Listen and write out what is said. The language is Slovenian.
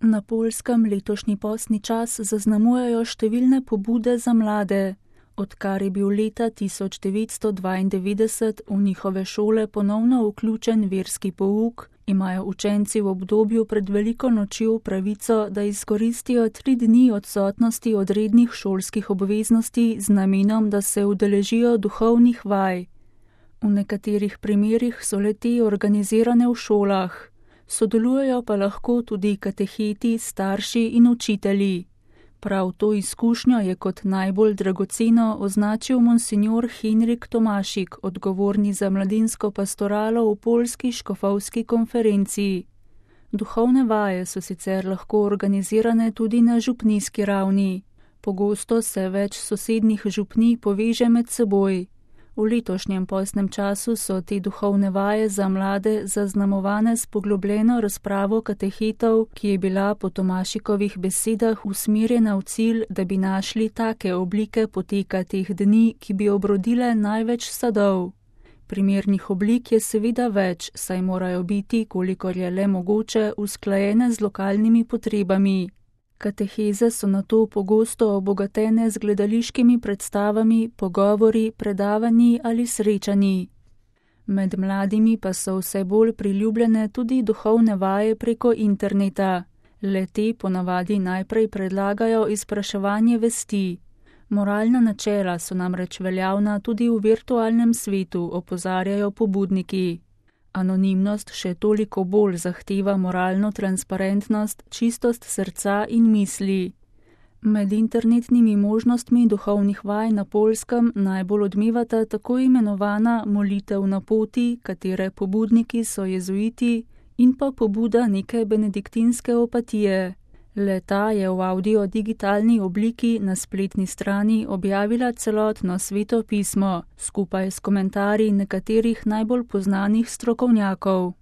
Na Poljskem letošnji postni čas zaznamujejo številne pobude za mlade. Odkar je bil leta 1992 v njihove šole ponovno vključen verski pouk, imajo učenci v obdobju pred veliko nočjo pravico, da izkoristijo 3 dni odsotnosti od rednih šolskih obveznosti z namenom, da se udeležijo duhovnih vaj. V nekaterih primerih so le-te organizirane v šolah. Sodelujejo pa lahko tudi kateheti, starši in učitelji. Prav to izkušnjo je kot najbolj dragoceno označil monsinjor Henrik Tomašik, odgovorni za mladinsko pastoralo v Poljski škofovski konferenciji. Duhovne vaje so sicer lahko organizirane tudi na župnijski ravni. Pogosto se več sosednjih župnij poveže med seboj. V letošnjem postnem času so te duhovne vaje za mlade zaznamovane s poglobljeno razpravo katehetov, ki je bila po Tomašikovih besedah usmerjena v cilj, da bi našli take oblike poteka teh dni, ki bi obrodile največ sadov. Primernih oblik je seveda več, saj morajo biti, kolikor je le mogoče, usklajene z lokalnimi potrebami. Kateheze so nato pogosto obogatene z gledališkimi predstavami, pogovori, predavanji ali srečanji. Med mladimi pa so vse bolj priljubljene tudi duhovne vaje preko interneta. Le-te ponavadi najprej predlagajo izpraševanje vesti. Moralna načela so namreč veljavna tudi v virtualnem svetu, opozarjajo pobudniki. Anonimnost še toliko bolj zahteva moralno transparentnost, čistost srca in misli. Med internetnimi možnostmi duhovnih vaj na Poljskem najbolj odmevata tako imenovana molitev na poti, katere pobudniki so jezuiti, in pa pobuda neke benediktinske opatije. Le-ta je v audio-digitalni obliki na spletni strani objavila celotno sveto pismo, skupaj s komentarji nekaterih najbolj poznanih strokovnjakov.